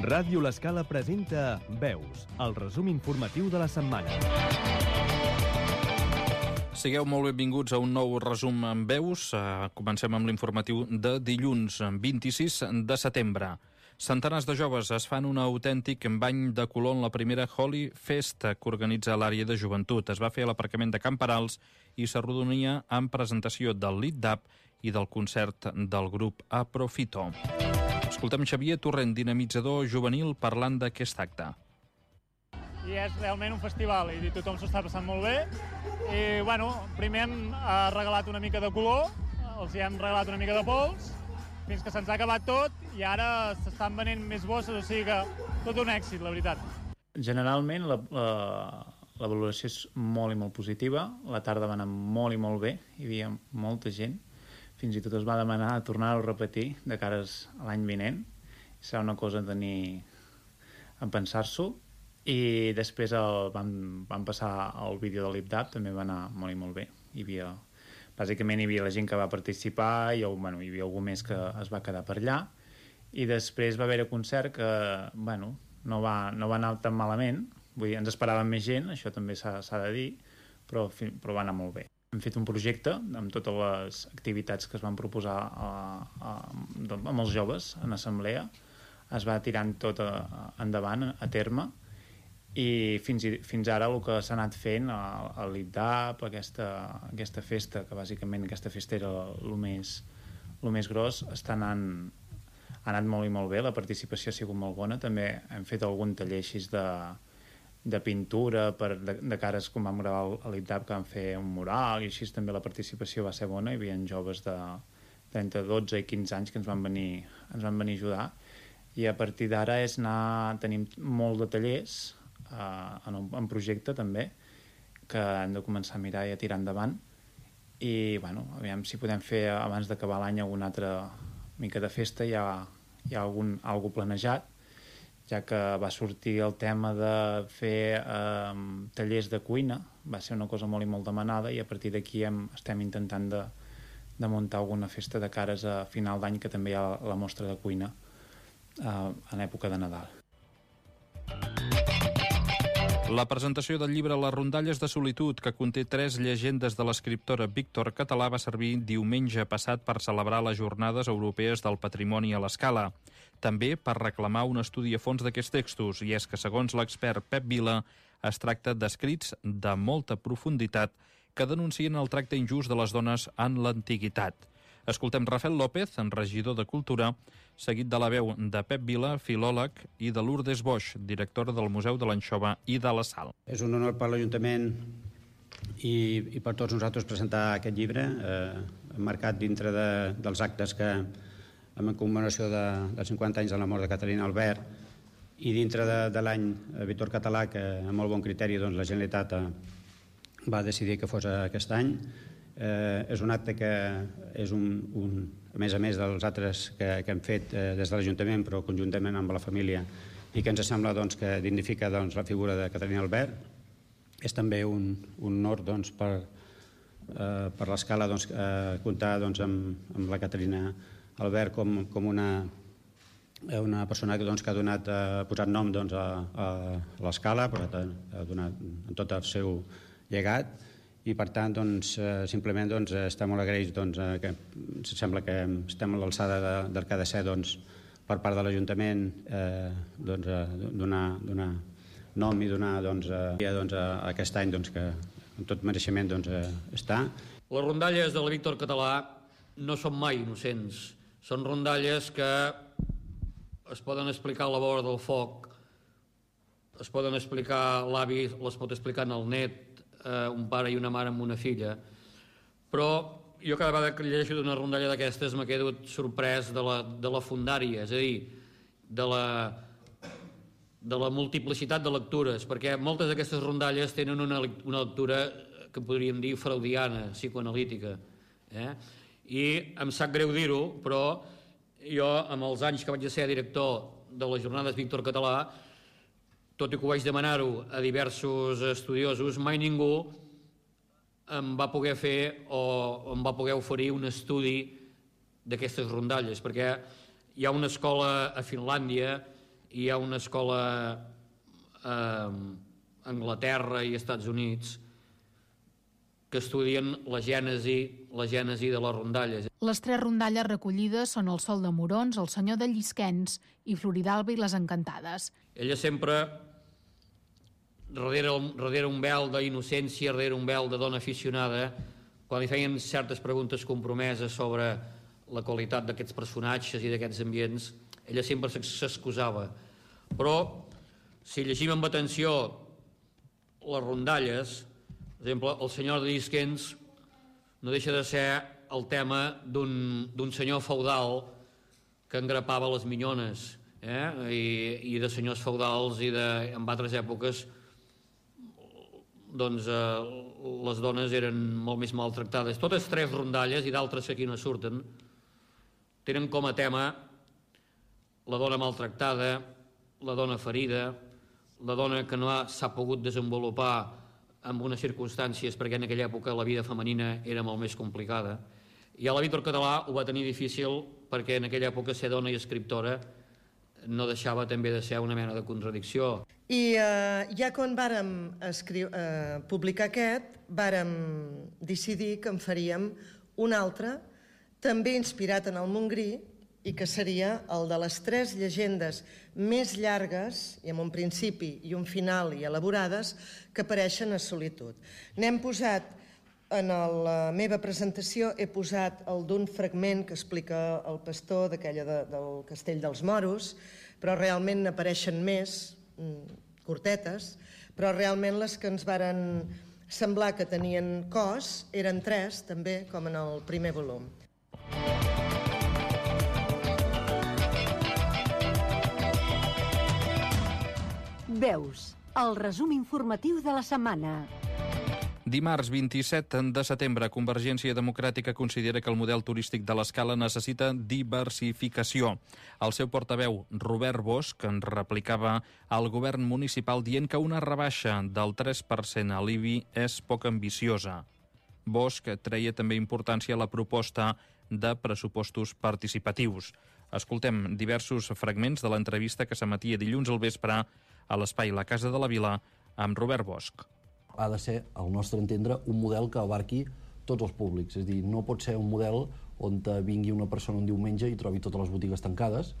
Ràdio L'Escala presenta Veus, el resum informatiu de la setmana. Sigueu molt benvinguts a un nou resum en Veus. Comencem amb l'informatiu de dilluns, 26 de setembre. Centenars de joves es fan un autèntic bany de color en la primera Holy Fest que organitza l'àrea de joventut. Es va fer a l'aparcament de Can Perals i s'arrodonia amb presentació del Lit-Dap i del concert del grup Aprofito. Escoltem Xavier Torrent, dinamitzador juvenil, parlant d'aquest acte. I és realment un festival i tothom s'ho està passant molt bé. I, primer hem regalat una mica de color, els hi hem regalat una mica de pols, fins que se'ns ha acabat tot i ara s'estan venent més bosses, o sigui que tot un èxit, la veritat. Generalment la valoració és molt i molt positiva, la tarda va anar molt i molt bé, hi havia molta gent, fins i tot es va demanar tornar-ho a repetir de cares a l'any vinent. Serà una cosa a tenir en pensar-s'ho. I després vam passar el vídeo de l'Ip-Dap, també va anar molt i molt bé. Bàsicament hi havia la gent que va participar i hi havia algú més que es va quedar per allà. I després va haver-hi un concert que no va anar tan malament. Vull dir, ens esperàvem més gent, això també s'ha de dir, però va anar molt bé. Hem fet un projecte amb totes les activitats que es van proposar amb els joves en assemblea. Es va tirant tot endavant, a terme, i fins ara el que s'ha anat fent a l'Ip-Dap, aquesta festa, que bàsicament aquesta festa era el més gros, ha anat molt i molt bé, la participació ha sigut molt bona. També hem fet algun taller així de pintura de cares, com vam gravar a l'Ip-Dap, que vam fer un mural, i així també la participació va ser bona. Hi havia joves entre 12 i 15 anys que ens van venir a ajudar, i a partir d'ara tenim molt de tallers en projecte també, que hem de començar a mirar i a tirar endavant, i aviam si podem fer abans d'acabar l'any alguna altra mica de festa. Hi ha algú planejat, ja que va sortir el tema de fer tallers de cuina, va ser una cosa molt i molt demanada, i a partir d'aquí estem intentant de muntar alguna festa de cares a final d'any, que també hi ha la mostra de cuina en època de Nadal. La presentació del llibre Les rondalles de solitud, que conté 3 llegendes de l'escriptora Víctor Català, va servir diumenge passat per celebrar les Jornades Europees del Patrimoni a l'Escala. També per reclamar un estudi a fons d'aquests textos, i és que, segons l'expert Pep Vila, es tracta d'escrits de molta profunditat que denuncien el tracte injust de les dones en l'antiguitat. Escoltem Rafael López, regidor de Cultura, seguit de la veu de Pep Vila, filòleg, i de Lourdes Boix, directora del Museu de l'Anxova i de la Sal. És un honor per l'Ajuntament i per tots nosaltres presentar aquest llibre, marcat dintre dels actes que, en commemoració dels 50 anys de la mort de Catalina Albert, i dintre de l'any Víctor Català, que amb molt bon criteri la Generalitat va decidir que fos aquest any. És un acte que és a més dels altres que hem fet des de l'Ajuntament, però conjuntament amb la família, i que ens sembla que dignifica la figura de Catalina Albert. És també un honor per l'Escala comptar amb la Catalina Albert com una persona que ha posat nom a l'Escala, ha donat en tot el seu llegat, i per tant simplement estem molt agraïts, que sembla que estem a l'alçada del que ha de ser per part de l'Ajuntament donar nom i donar a aquest any que amb tot mereixement està. Les rondalles de la Víctor Català no són mai innocents, són rondalles que es poden explicar a la vora del foc, es poden explicar l'avi, les pot explicar en el net, un pare i una mare amb una filla, però jo cada vegada que llegeixo d'una rondalla d'aquestes m'he quedat sorprès de la fundària, és a dir, de la multiplicitat de lectures, perquè moltes d'aquestes rondalles tenen una lectura que podríem dir freudiana, psicoanalítica, i em sap greu dir-ho, però jo amb els anys que vaig ser director de les Jornades Víctor Català, tot i que ho vaig demanar-ho a diversos estudiosos, mai ningú em va poder fer o em va poder oferir un estudi d'aquestes rondalles, perquè hi ha una escola a Finlàndia hi ha una escola a Anglaterra i Estats Units que estudien la gènesi de les rondalles. Les 3 rondalles recollides són el Sol de Morons, el Senyor de Llisquens i Floridalba i les Encantades. Ella sempre, darrere un vel d'innocència, darrere un vel de dona aficionada, quan li feien certes preguntes compromeses sobre la qualitat d'aquests personatges i d'aquests ambients, ella sempre s'excusava. Però, si llegim amb atenció les rondalles, per exemple, el Senyor de Llisquens no deixa de ser el tema d'un senyor feudal que engrapava les minyones, i de senyors feudals i en altres èpoques doncs les dones eren molt més maltractades. Totes 3 rondalles, i d'altres que aquí no surten, tenen com a tema la dona maltractada, la dona ferida, la dona que no s'ha pogut desenvolupar en unes circumstàncies, perquè en aquella època la vida femenina era molt més complicada. I a la Víctor Català ho va tenir difícil perquè en aquella època ser dona i escriptora no deixava també de ser una mena de contradicció. I ja quan vàrem publicar aquest, vàrem decidir que en faríem un altre, també inspirat en el Montgrí, i que seria el de les 3 llegendes més llargues, i amb un principi i un final i elaborades, que apareixen a Solitud. N'hem posat, en la meva presentació, he posat el d'un fragment que explica el pastor d'aquella del Castell dels Moros, però realment n'apareixen més, curtetes, però realment les que ens varen semblar que tenien cos eren 3, també, com en el primer volum. Veus, el resum informatiu de la setmana. Dimarts 27 de setembre, Convergència Democràtica considera que el model turístic de l'Escala necessita diversificació. El seu portaveu, Robert Bosch, en replicava al govern municipal dient que una rebaixa del 3% a l'IBI és poc ambiciosa. Bosch treia també importància a la proposta de pressupostos participatius. Escoltem diversos fragments de l'entrevista que s'emetia dilluns al vespre a l'espai La Casa de la Vila amb Robert Bosch. Ha de ser, al nostre entendre, un model que abarqui tots els públics. És a dir, no pot ser un model on vingui una persona un diumenge i trobi totes les botigues tancades,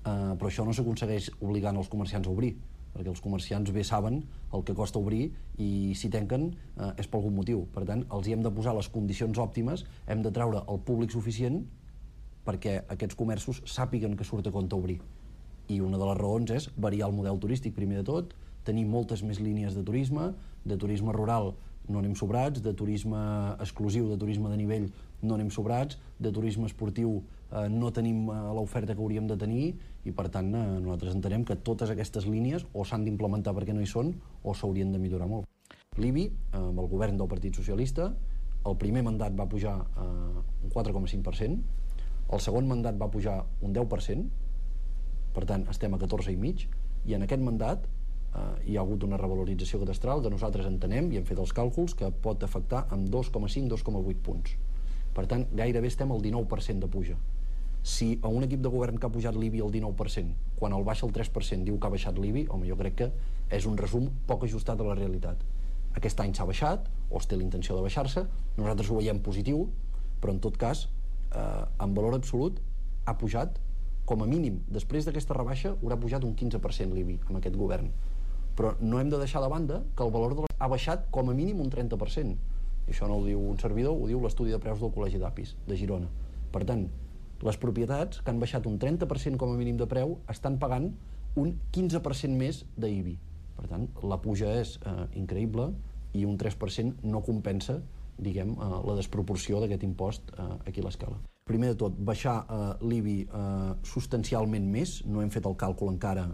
però això no s'aconsegueix obligant els comerciants a obrir, perquè els comerciants bé saben el que costa obrir i si tanquen és per algun motiu. Per tant, els hi hem de posar les condicions òptimes, hem de treure el públic suficient perquè aquests comerços sàpiguen que surt a compte obrir. I una de les raons és variar el model turístic, primer de tot, tenir moltes més línies de turisme rural no anem sobrats, de turisme exclusiu, de turisme de nivell no anem sobrats, de turisme esportiu no tenim l'oferta que hauríem de tenir i, per tant, nosaltres entenem que totes aquestes línies o s'han d'implementar perquè no hi són o s'haurien de millorar molt. L'IBI, amb el govern del Partit Socialista, el primer mandat va pujar un 4,5%, el segon mandat va pujar un 10%, per tant, estem a 14,5%, i en aquest mandat hi ha hagut una revalorització cadastral que nosaltres entenem, i hem fet els càlculs, que pot afectar amb 2,5-2,8 punts. Per tant, gairebé estem al 19% de puja. Si a un equip de govern que ha pujat l'IBI al 19%, quan el baixa el 3% diu que ha baixat l'IBI, home, jo crec que és un resum poc ajustat a la realitat. Aquest any s'ha baixat, o es té la intenció de baixar-se, nosaltres ho veiem positiu, però en tot cas, en valor absolut, ha pujat com a mínim, després d'aquesta rebaixa, haurà pujat un 15% l'IBI amb aquest govern. Però no hem de deixar de banda que el valor ha baixat com a mínim un 30%. I això no ho diu un servidor, ho diu l'estudi de preus del Col·legi d'Apis, de Girona. Per tant, les propietats que han baixat un 30% com a mínim de preu estan pagant un 15% més d'IBI. Per tant, la puja és increïble i un 3% no compensa, diguem, la desproporció d'aquest impost aquí a l'Escala. Primer de tot, baixar l'IBI substancialment més, no hem fet el càlcul encara,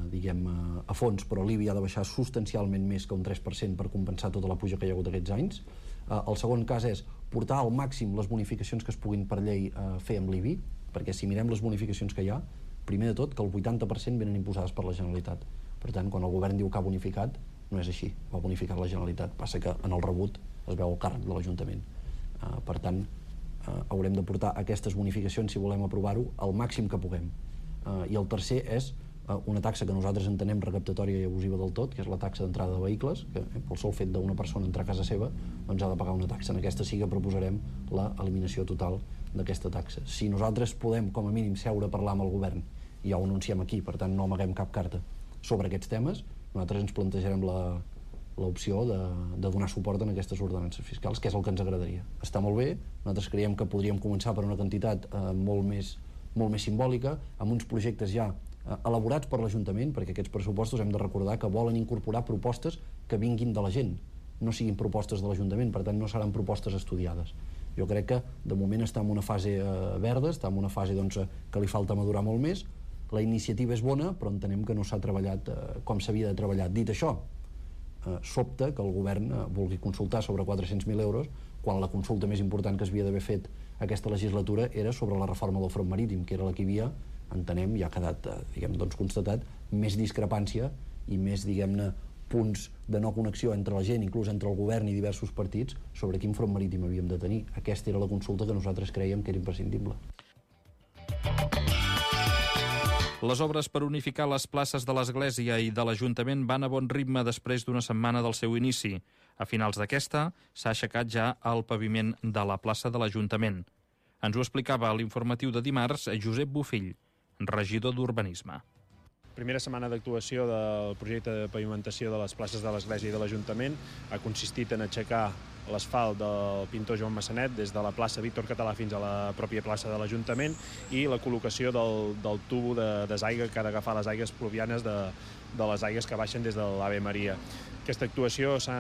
diguem, a fons, però l'IBI ha de baixar substancialment més que un 3% per compensar tota la puja que hi ha hagut aquests anys. El segon cas és portar al màxim les bonificacions que es puguin per llei fer amb l'IBI, perquè si mirem les bonificacions que hi ha, primer de tot que el 80% venen imposades per la Generalitat. Per tant, quan el govern diu que ha bonificat, no és així, ho ha bonificat la Generalitat, passa que en el rebut es veu el càrrec de l'Ajuntament. Per tant, haurem de portar aquestes bonificacions, si volem aprovar-ho, al màxim que puguem. I el tercer és una taxa que nosaltres entenem recaptatòria i abusiva del tot, que és la taxa d'entrada de vehicles, que pel sol fet d'una persona entrar a casa seva doncs ha de pagar una taxa. En aquesta sí que proposarem l'eliminació total d'aquesta taxa. Si nosaltres podem, com a mínim, seure a parlar amb el govern, i ja ho anunciem aquí, per tant no amaguem cap carta sobre aquests temes, nosaltres ens plantejarem l'opció de donar suport en aquestes ordenances fiscals, que és el que ens agradaria. Està molt bé, nosaltres creiem que podríem començar per una quantitat molt més simbòlica, amb uns projectes ja elaborats per l'Ajuntament, perquè aquests pressupostos hem de recordar que volen incorporar propostes que vinguin de la gent, no siguin propostes de l'Ajuntament, per tant no seran propostes estudiades. Jo crec que de moment està en una fase verda, està en una fase que li falta madurar molt més. La iniciativa és bona, però entenem que no s'ha treballat com s'havia de treballar. Dit això, sobta que el govern vulgui consultar sobre 400.000 euros quan la consulta més important que s'havia d'haver fet aquesta legislatura era sobre la reforma del front marítim, que era la que hi havia, entenem, ja ha quedat constatat, més discrepància i més, punts de no connexió entre la gent, inclús entre el govern i diversos partits, sobre quin front marítim havíem de tenir. Aquesta era la consulta que nosaltres crèiem que era imprescindible. Les obres per unificar les places de l'Església i de l'Ajuntament van a bon ritme després d'una setmana del seu inici. A finals d'aquesta s'ha aixecat ja el paviment de la plaça de l'Ajuntament. Ens ho explicava a l'informatiu de dimarts Josep Bofill, regidor d'Urbanisme. Primera setmana d'actuació del projecte de pavimentació de les places de l'Església i de l'Ajuntament ha consistit en aixecar l'asfalt del pintor Joan Massanet des de la plaça Víctor Català fins a la pròpia plaça de l'Ajuntament i la col·locació del tubo de desaigüe que ha d'agafar les aigües pluvianes de les aigües que baixen des de l'Ave Maria. Aquesta actuació s'ha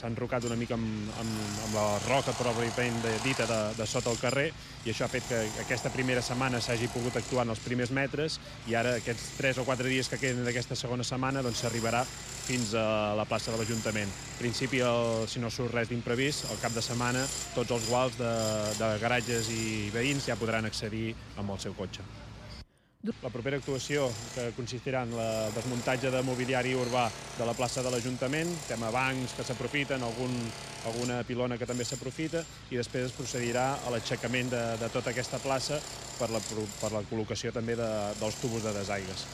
enrocat una mica amb la roca pròpiament dita de sota el carrer i això ha fet que aquesta primera setmana s'hagi pogut actuar en els primers metres i ara aquests 3 o 4 dies que queden d'aquesta segona setmana s'arribarà fins a la plaça de l'Ajuntament. En principi, si no surt res d'imprevist, al cap de setmana tots els guals de garatges i veïns ja podran accedir amb el seu cotxe. La propera actuació, que consistirà en el desmuntatge de mobiliari urbà de la plaça de l'Ajuntament, tema bancs que s'aprofiten, alguna pilona que també s'aprofita, i després es procedirà a l'aixecament de tota aquesta plaça per la col·locació també dels tubos de desaigües.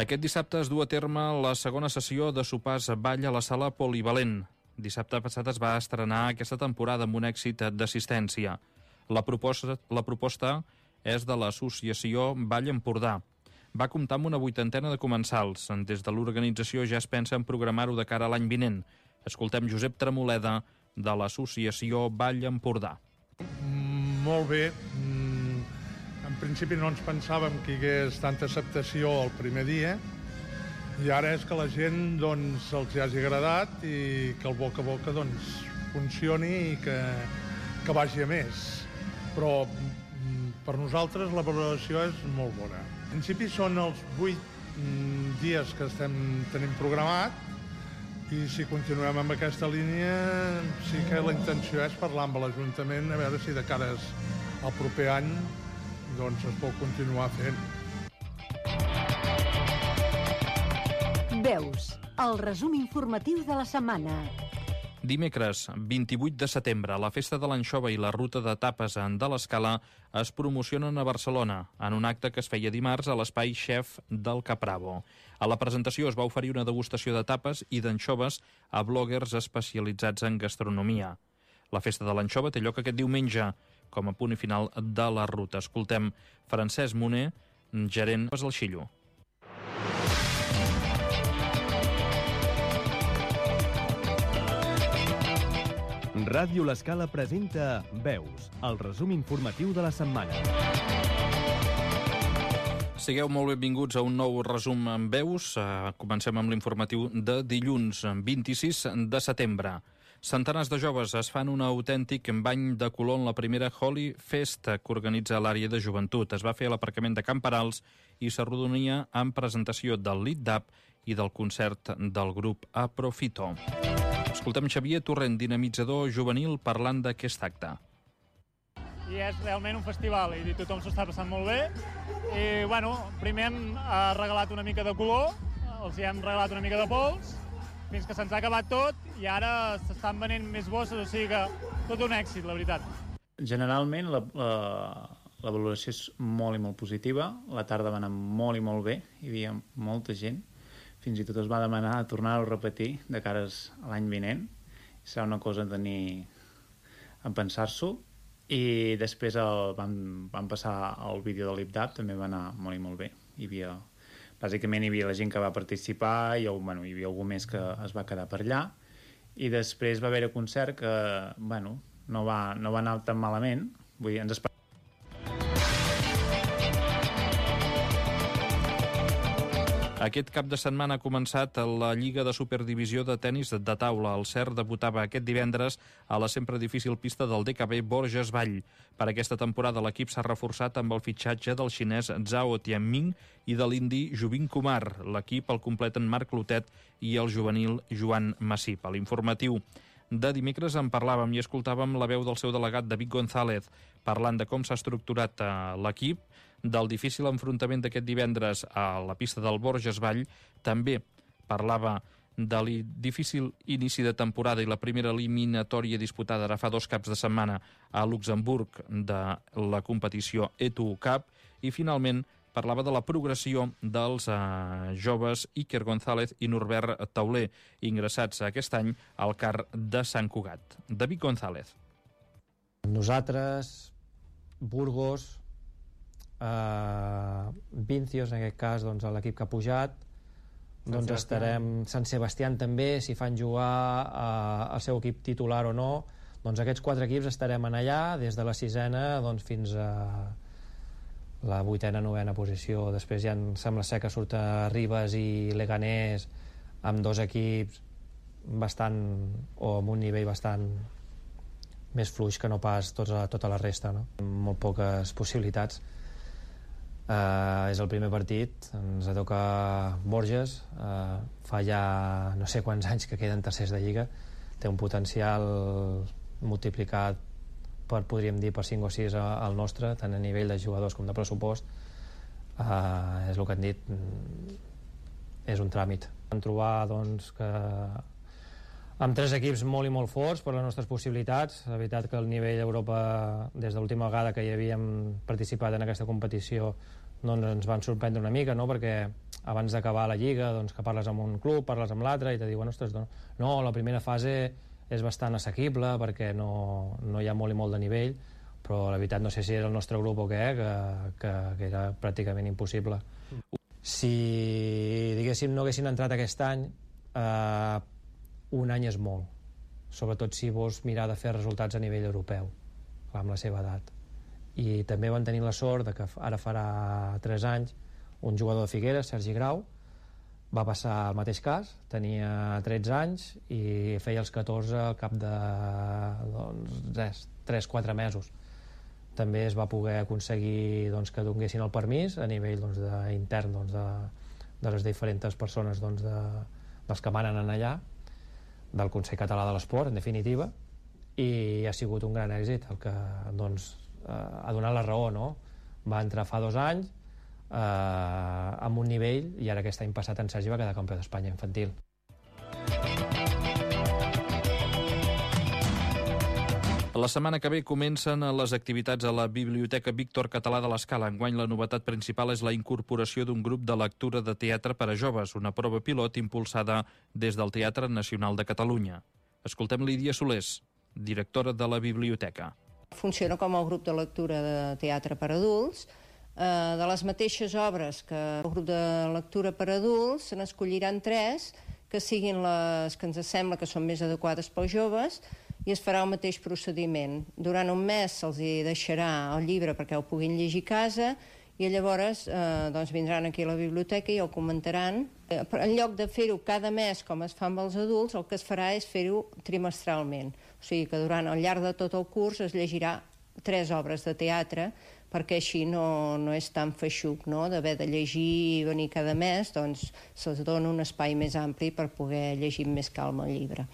Aquest dissabte es du a terme la segona sessió de sopars ball a la sala Polivalent. Dissabte passat es va estrenar aquesta temporada amb un èxit d'assistència. La proposta és de l'associació Ball Empordà. Va comptar amb una 80ena de comensals. Des de l'organització ja es pensa en programar-ho de cara a l'any vinent. Escoltem Josep Tremoleda, de l'associació Ball Empordà. Molt bé. En principi no ens pensàvem que hi hagués tanta acceptació el primer dia, i ara és que la gent els hagi agradat i que el boca a boca funcioni i que vagi a més. Però per nosaltres la valoració és molt bona. En principi són els 8 dies que tenim programat i si continuem amb aquesta línia sí que la intenció és parlar amb l'Ajuntament a veure si de cara al proper any es pot continuar fent. Veus, el resum informatiu de la setmana. Dimecres, 28 de setembre, la Festa de l'Anxova i la Ruta de Tapes de l'Escala es promocionen a Barcelona, en un acte que es feia dimarts a l'espai Chef del Capravo. A la presentació es va oferir una degustació de tapes i d'anxoves a bloggers especialitzats en gastronomia. La Festa de l'Anxova té lloc aquest diumenge, com a punt i final de la ruta. Escoltem Francesc Moner, gerent del Xillo. Ràdio L'Escala presenta Veus, el resum informatiu de la setmana. Sigueu molt benvinguts a un nou resum en Veus. Comencem amb l'informatiu de dilluns, 26 de setembre. Centenars de joves es fan un autèntic bany de color en la primera Holy Fest que organitza l'àrea de joventut. Es va fer a l'aparcament de Camperals i s'arrodonia amb presentació del Lit d'App i del concert del grup Aprofito. Escoltem Xavier Torrent, dinamitzador juvenil, parlant d'aquest acte. I és realment un festival i tothom s'ho està passant molt bé. I, primer hem regalat una mica de color, els hem regalat una mica de pols, fins que se'ns ha acabat tot i ara s'estan venent més bosses, o sigui que tot un èxit, la veritat. Generalment la valoració és molt i molt positiva. La tarda va anar molt i molt bé, hi havia molta gent. Fins i tot es va demanar tornar-ho a repetir de cares a l'any vinent. Serà una cosa a tenir en pensar-s'ho. I després vam passar el vídeo de l'IPDAP, també va anar molt i molt bé. Bàsicament hi havia la gent que va participar i hi havia algú més que es va quedar per allà. I després va haver-hi un concert que no va anar tan malament. Vull dir, ens esperàvem. Aquest cap de setmana ha començat la Lliga de Superdivisió de Tenis de Taula. El CERT debutava aquest divendres a la sempre difícil pista del DKB Borges Vall. Per aquesta temporada l'equip s'ha reforçat amb el fitxatge del xinès Zhao Tianming i de l'indi Jubin Kumar. L'equip el completen Marc Lotet i el juvenil Joan Massip. A l'informatiu de dimecres en parlàvem i escoltàvem la veu del seu delegat David González parlant de com s'ha estructurat l'equip, del difícil enfrontament d'aquest divendres a la pista del Borges Vall. També parlava del difícil inici de temporada i la primera eliminatòria disputada ara fa 2 caps de setmana a Luxemburg de la competició E2 Cup i finalment parlava de la progressió dels joves Iker González i Norbert Tauler, ingressats aquest any al CAR de Sant Cugat. David González. Nosaltres, Burgos, Vincios, en aquest cas l'equip que ha pujat, estarem Sant Sebastián també, si fan jugar el seu equip titular o no, aquests 4 equips estarem en allà des de la 6ena fins a la 8ena, 9ena posició. Després ja sembla ser que surten Ribes i Leganés amb 2 equips amb un nivell bastant més fluix que no pas tota la resta, no? Molt poques possibilitats. És el primer partit, ens toca Borges, fa ja no sé quants anys que queden tercers de Lliga, té un potencial multiplicat podríem dir per 5 o 6 al nostre, tant a nivell de jugadors com de pressupost. És el que han dit, és un tràmit. Vam trobar que amb 3 equips molt i molt forts per les nostres possibilitats. La veritat que el nivell d'Europa, des de l'última vegada que hi havíem participat en aquesta competició, ens van sorprendre una mica, no? Perquè abans d'acabar la Lliga, que parles amb un club, parles amb l'altre i te diuen, ostres, no, la primera fase és bastant assequible perquè no hi ha molt i molt de nivell, però la veritat no sé si era el nostre grup o què, que era pràcticament impossible. Si, diguéssim, no haguessin entrat aquest any, un any és molt, sobretot si vols mirar de fer resultats a nivell europeu, amb la seva edat. I també van tenir la sort que ara farà 3 anys un jugador de Figueres, Sergi Grau, va passar el mateix cas, tenia 13 anys i feia els 14 al cap de 3-4 mesos. També es va poder aconseguir que donguessin el permís a nivell intern de les diferents persones dels que manen allà, del Consell Català de l'Esport, en definitiva, i ha sigut un gran èxit el que ha donat la raó, no? Va entrar fa 2 anys amb un nivell i ara aquest any passat en Sergi va quedar campió d'Espanya infantil. La setmana que ve comencen les activitats a la Biblioteca Víctor Català de l'Escala. Enguany la novetat principal és la incorporació d'un grup de lectura de teatre per a joves, una prova pilot impulsada des del Teatre Nacional de Catalunya. Escoltem Lídia Solés, directora de la biblioteca. Funciona com el grup de lectura de teatre per a adults. De les mateixes obres que el grup de lectura per a adults, se n'escolliran 3 que siguin les que ens sembla que són més adequades pels joves i es farà el mateix procediment. Durant un mes se'ls deixarà el llibre perquè ho puguin llegir a casa i llavors vindran aquí a la biblioteca i ho comentaran. En lloc de fer-ho cada mes com es fa amb els adults, el que es farà és fer-ho trimestralment. O sigui que durant el llarg de tot el curs es llegirà 3 obres de teatre perquè així no és tan feixuc, no? D'haver de llegir i venir cada mes, se'ls dona un espai més ampli per poder llegir amb més calma el llibre.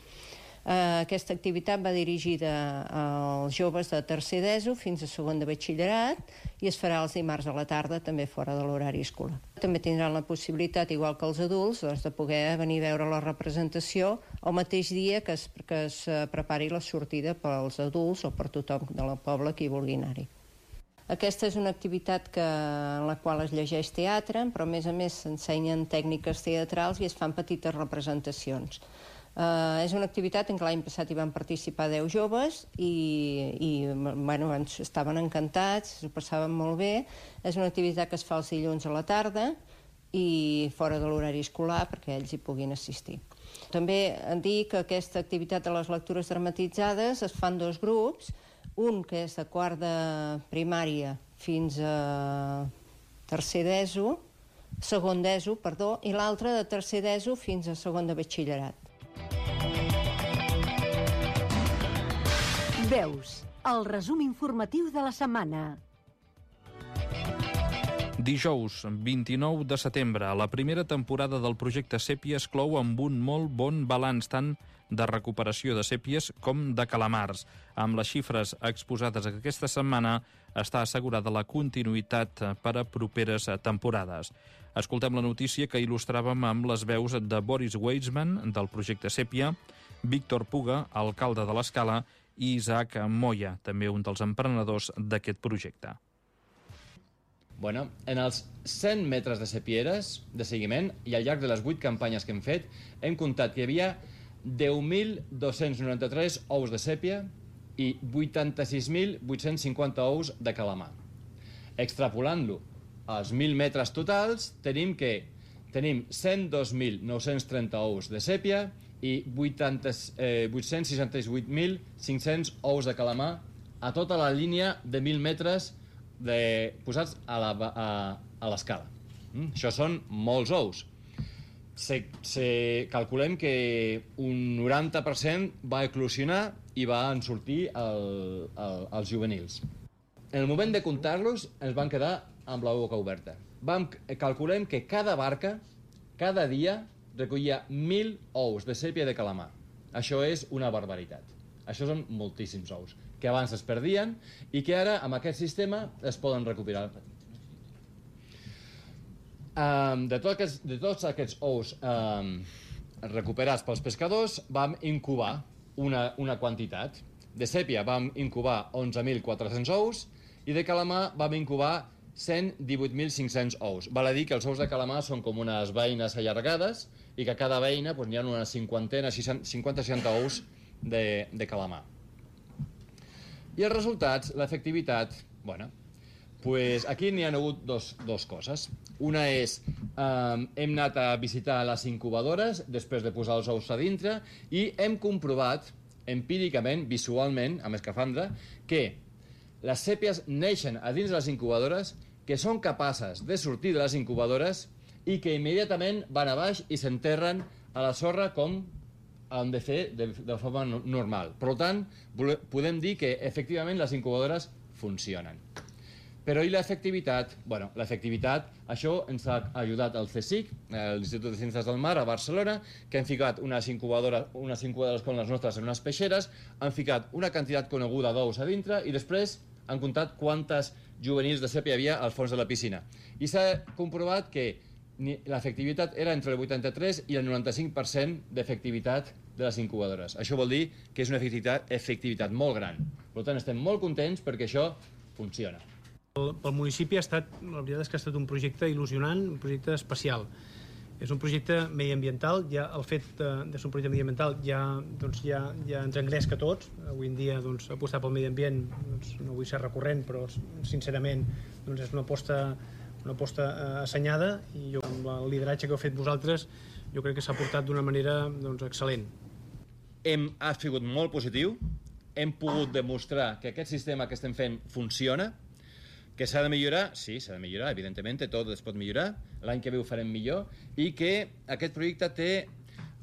Aquesta activitat va dirigida als joves de tercer d'ESO fins a segon de batxillerat i es farà els dimarts a la tarda, també fora de l'horari escolar. També tindran la possibilitat, igual que els adults, de poder venir a veure la representació el mateix dia que es prepari la sortida pels adults o per tothom del poble que hi vulgui anar-hi. Aquesta és una activitat en la qual es llegeix teatre, però a més s'ensenyen tècniques teatrals i es fan petites representacions. És una activitat en què l'any passat hi van participar 10 joves i estaven encantats, s'ho passaven molt bé. És una activitat que es fa els dilluns a la tarda i fora de l'horari escolar perquè ells hi puguin assistir. També dir que aquesta activitat de les lectures dramatitzades es fan 2 grups, un que és de quart de primària fins a tercer d'ESO, segon d'ESO, perdó, i l'altre de tercer d'ESO fins a segon de batxillerat. Veus, el resum informatiu de la setmana. Dijous, 29 de setembre, la primera temporada del projecte Sèpia es clou amb un molt bon balanç tant de recuperació de sèpies com de calamars. Amb les xifres exposades aquesta setmana està assegurada la continuïtat per a properes temporades. Escoltem la notícia que il·lustràvem amb les veus de Boris Weizmann, del projecte Sèpia, Víctor Puga, alcalde de l'Escala, i Isaac Moya, també un dels emprenedors d'aquest projecte. Bueno, en els 100 metres de sepieres de seguiment i al llarg de les 8 campanyes que hem fet hem comptat que hi havia 10.293 ous de sèpia i 86.850 ous de calamar. Extrapolant-lo als 1.000 metres totals tenim 102.930 ous de sèpia i 868.500 ous de calamar a tota la línia de 1.000 metres posats a l'escala. Això són molts ous. Calculem que un 90% va eclosionar i van sortir els juvenils. En el moment de comptar-los ens van quedar amb la boca oberta. Calculem que cada barca, cada dia, recollia 1.000 ous de sèpia de calamar. Això és una barbaritat. Això són moltíssims ous, que abans es perdien i que ara, amb aquest sistema, es poden recuperar. De tots aquests ous recuperats pels pescadors, vam incubar una quantitat. De sèpia vam incubar 11.400 ous i de calamar vam incubar 118.500 ous. Val a dir que els ous de calamar són com unes beines allargades i que a cada beina hi ha unes 50-60 ous de calamar. I els resultats, l'efectivitat, aquí n'hi ha hagut dos coses. Una és, hem anat a visitar les incubadores després de posar els ous a dintre i hem comprovat empíricament, visualment, amb escafandra, que les sèpies neixen a dins de les incubadores, que són capaces de sortir de les incubadores i que immediatament van a baix i s'enterren a la sorra com han de fer de forma normal. Per tant, podem dir que efectivament les incubadores funcionen. Però i l'efectivitat? Bueno, l'efectivitat, això ens ha ajudat el CSIC, l'Institut de Ciències del Mar, a Barcelona, que han ficat unes incubadores com les nostres en unes peixeres, han ficat una quantitat coneguda d'ous a dintre i després han comptat quantes juvenils de sèpia hi havia al fons de la piscina. I s'ha comprovat que l'efectivitat era entre el 83 i el 95% d'efectivitat de les incubadores. Això vol dir que és una efectivitat molt gran. Per tant, estem molt contents perquè això funciona. Pel municipi la veritat és que ha estat un projecte il·lusionant, un projecte especial. És un projecte mediambiental, ja el fet de ser un projecte mediambiental ja ens engresca a tots. Avui en dia apostar pel medi ambient no vull ser recurrent, però sincerament és una aposta assenyada i amb el lideratge que heu fet vosaltres jo crec que s'ha portat d'una manera excel·lent. Ha sigut molt positiu, hem pogut demostrar que aquest sistema que estem fent funciona, que s'ha de millorar, sí, s'ha de millorar, evidentment, tot es pot millorar, l'any que ve ho farem millor, i que aquest projecte té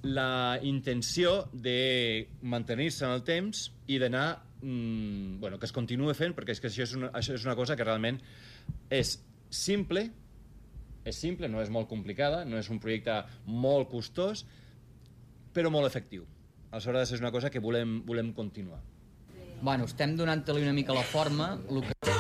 la intenció de mantenir-se en el temps i d'anar, que es continuï fent, perquè és que això és una cosa que realment és simple, no és molt complicada, no és un projecte molt costós, però molt efectiu. Aleshores és una cosa que volem continuar. Bueno, estem donant-li una mica la forma. El que